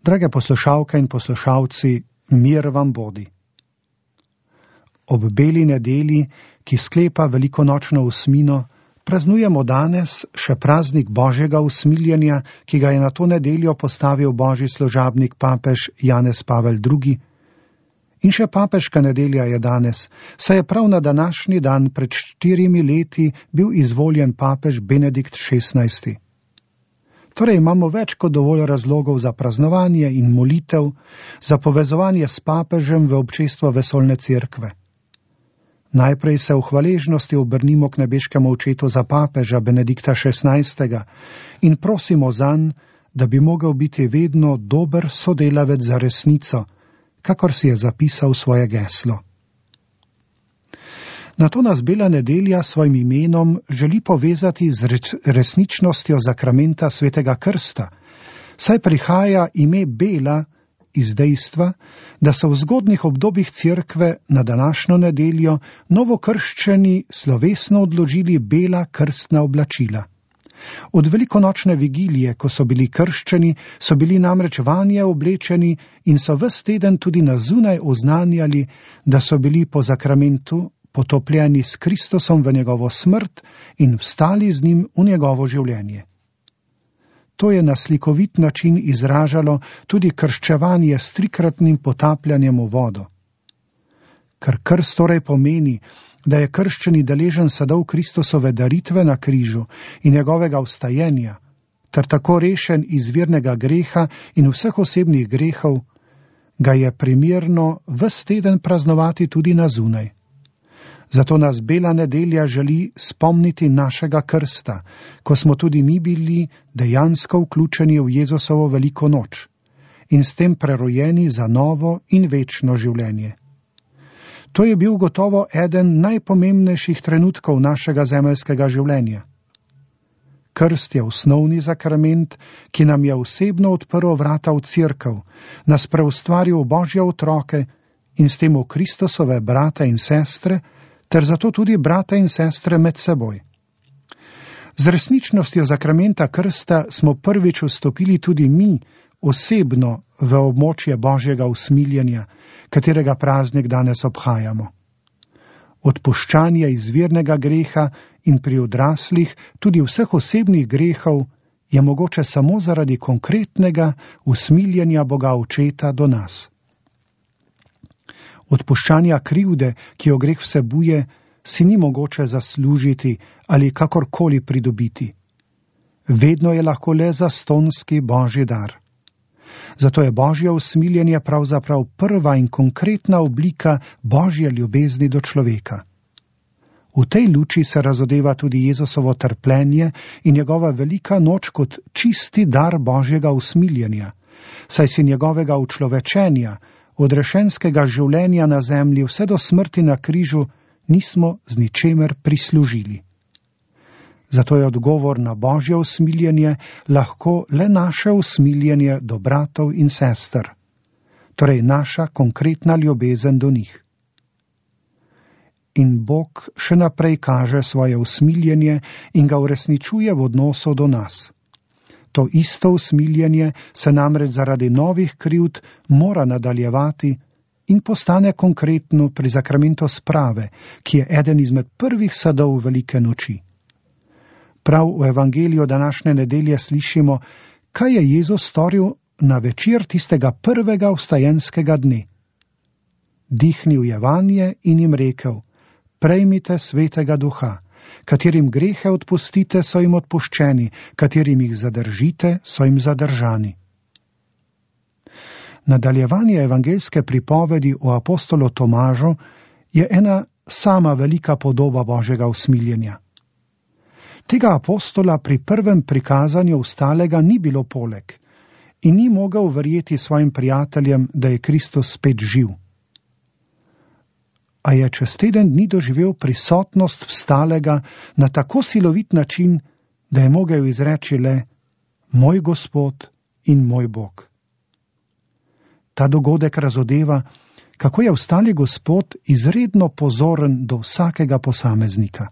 Drage poslušalke in poslušalci, mir vam bodi. Ob beli nedelji, ki sklepa velikonočno osmino, praznujemo danes še praznik Božjega usmiljenja, ki ga je na to nedeljo postavil božji služabnik papež Janez Pavel II. In še papeška nedelja je danes, saj je prav na današnji dan pred 4 leti bil izvoljen papež Benedikt XVI. Torej imamo več kot dovolj razlogov za praznovanje in molitev, za povezovanje s papežem v občestvo vesoljne cerkve. Najprej se v hvaležnosti obrnimo k nebeškemu očetu za papeža Benedikta XVI. In prosimo zanj, da bi mogel biti vedno dober sodelavec za resnico, kakor si je zapisal svoje geslo. Nato nas bela nedelja s svojim imenom želi povezati z resničnostjo zakramenta svetega krsta, saj prihaja ime bela iz dejstva, da so v zgodnih obdobjih cerkve na današnjo nedeljo novokrščeni slovesno odložili bela krstna oblačila. Od velikonočne vigilije, ko so bili krščeni, so bili namreč vanje oblečeni in so ves teden tudi na zunaj oznanjali, da so bili po zakramentu potopljeni s Kristusom v njegovo smrt in vstali z njim v njegovo življenje. To je na slikovit način izražalo tudi krščevanje s 3-kratnim potapljanjem v vodo. Ker krst torej pomeni, da je krščeni deležen sadov Kristusove daritve na križu in njegovega vstajenja, ter tako rešen izvirnega greha in vseh osebnih grehov, ga je primerno ves teden praznovati tudi na zunaj. Zato nas bela nedelja želi spomniti našega krsta, ko smo tudi mi bili dejansko vključeni v Jezusovo veliko noč in s tem prerojeni za novo in večno življenje. To je bil gotovo eden najpomembnejših trenutkov našega zemeljskega življenja. Krst je osnovni zakrament, ki nam je osebno odprl vrata v cerkev, nas preustvaril v Božje otroke in s tem v Kristusove brate in sestre, ter zato tudi brate in sestre med seboj. Z resničnostjo zakramenta krsta smo prvič vstopili tudi mi osebno v območje Božjega usmiljenja, katerega praznik danes obhajamo. Odpuščanje izvirnega greha in pri odraslih tudi vseh osebnih grehov je mogoče samo zaradi konkretnega usmiljenja Boga Očeta do nas. Odpuščanja krivde, ki jo greh vsebuje, si ni mogoče zaslužiti ali kakorkoli pridobiti. Vedno je lahko le zastonski Božji dar. Zato je Božje usmiljenje pravzaprav prva in konkretna oblika Božje ljubezni do človeka. V tej luči se razodeva tudi Jezusovo trpljenje in njegova velika noč kot čisti dar Božjega usmiljenja, saj si njegovega učlovečenja, odrešenskega življenja na zemlji vse do smrti na križu nismo z ničemer prislužili. Zato je odgovor na Božje usmiljenje lahko le naše usmiljenje do bratov in sester, torej naša konkretna ljubezen do njih. In Bog še naprej kaže svoje usmiljenje in ga uresničuje v odnosu do nas. To isto usmiljenje se namreč zaradi novih krivd mora nadaljevati in postane konkretno pri zakramentu sprave, ki je eden izmed prvih sadov velike noči. Prav v evangeliju današnje nedelje slišimo, kaj je Jezus storil na večer tistega prvega vstajenskega dne. Dihnil je vanje in jim rekel: prejmite svetega duha, katerim grehe odpustite, so jim odpuščeni, katerim jih zadržite, so jim zadržani. Nadaljevanje evangeljske pripovedi o apostolu Tomažu je ena sama velika podoba Božjega usmiljenja. Tega apostola pri prvem prikazanju vstalega ni bilo poleg in ni mogel verjeti svojim prijateljem, da je Kristus spet živ. A je čez teden dni doživel prisotnost vstalega na tako silovit način, da je mogel izreči le: moj Gospod in moj Bog. Ta dogodek razodeva, kako je vstali Gospod izredno pozoren do vsakega posameznika.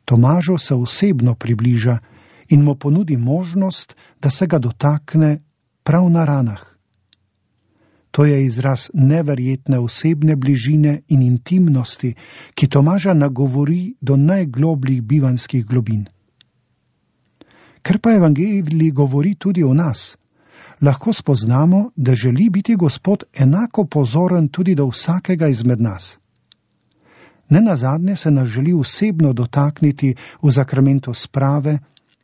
Tomažu se osebno približa in mu ponudi možnost, da se ga dotakne prav na ranah. To je izraz neverjetne osebne bližine in intimnosti, ki Tomaža nagovori do najglobljih bivanjskih globin. Ker pa evangelij govori tudi o nas, lahko spoznamo, da želi biti Gospod enako pozoren tudi do vsakega izmed nas. Nenazadnje se nas želi osebno dotakniti v zakramentu sprave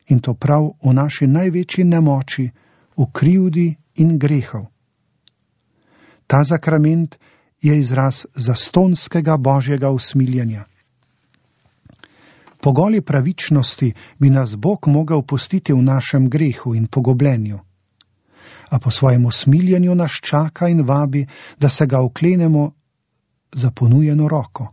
in to prav v naši največji nemoči, v krivdi in grehov. Ta zakrament je izraz zastonskega Božjega usmiljenja. Po goli pravičnosti bi nas Bog mogel pustiti v našem grehu in pogobljenju, a po svojem usmiljenju nas čaka in vabi, da se ga oklenemo za ponujeno roko.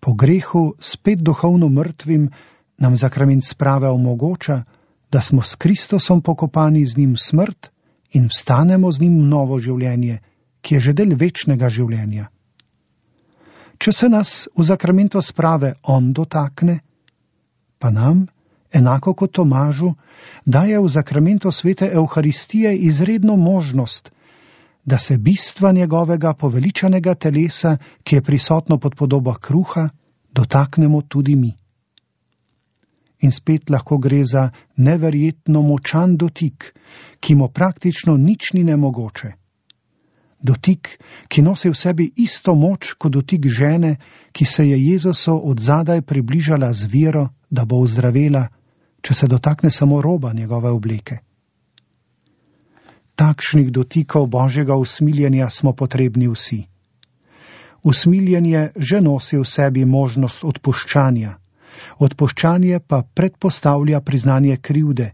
Po grehu, spet duhovno mrtvim, nam zakrament sprave omogoča, da smo s Kristusom pokopani z njim smrt in vstanemo z njim v novo življenje, ki je že del večnega življenja. Če se nas v zakramentu sprave on dotakne, pa nam, enako kot Tomažu, daje v zakramentu svete Evharistije izredno možnost, da se bistva njegovega poveličanega telesa, ki je prisotno pod podobo kruha, dotaknemo tudi mi. In spet lahko gre za neverjetno močan dotik, ki mu praktično nič ni nemogoče. Dotik, ki nosi v sebi isto moč kot dotik žene, ki se je Jezusu od zadaj približala z vero, da bo ozdravela, če se dotakne samo roba njegove obleke. Takšnih dotikov Božjega usmiljenja smo potrebni vsi. Usmiljenje že nosi v sebi možnost odpuščanja, odpuščanje pa predpostavlja priznanje krivde,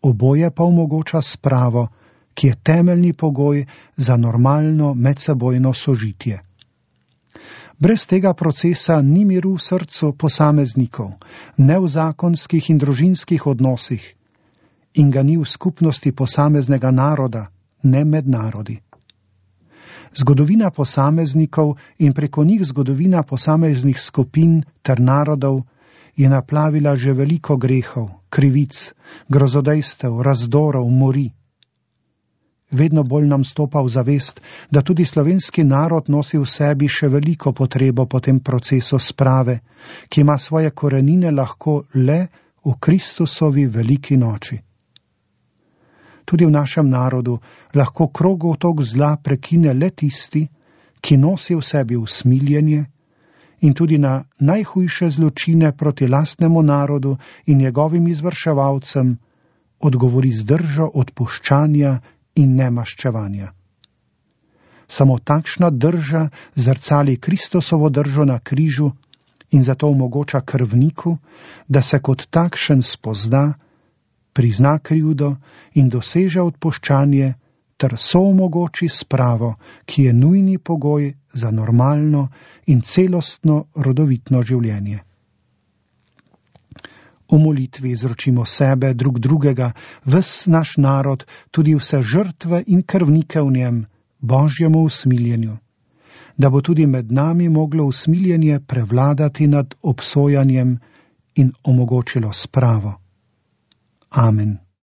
oboje pa omogoča spravo, ki je temeljni pogoj za normalno medsebojno sožitje. Brez tega procesa ni miru v srcu posameznikov, ne v zakonskih in družinskih odnosih, in ga ni v skupnosti posameznega naroda, ne med narodi. Zgodovina posameznikov in preko njih zgodovina posameznih skupin ter narodov je naplavila že veliko grehov, krivic, grozodejstev, razdorov, mori. Vedno bolj nam stopa v zavest, da tudi slovenski narod nosi v sebi še veliko potrebo po tem procesu sprave, ki ima svoje korenine lahko le v Kristusovi veliki noči. Tudi v našem narodu lahko krogotok zla prekine le tisti, ki nosi v sebi usmiljenje in tudi na najhujše zločine proti lastnemu narodu in njegovim izvrševalcem odgovori z držo odpuščanja in nemaščevanja. Samo takšna drža zrcali Kristusovo držo na križu in zato omogoča krvniku, da se kot takšen spozna, prizna krivdo in doseže odpuščanje ter soomogoči spravo, ki je nujni pogoj za normalno in celostno rodovitno življenje. V molitvi izročimo sebe, drug drugega, ves naš narod, tudi vse žrtve in krvnike v njem, Božjemu usmiljenju, da bo tudi med nami moglo usmiljenje prevladati nad obsojanjem in omogočilo spravo. Amen.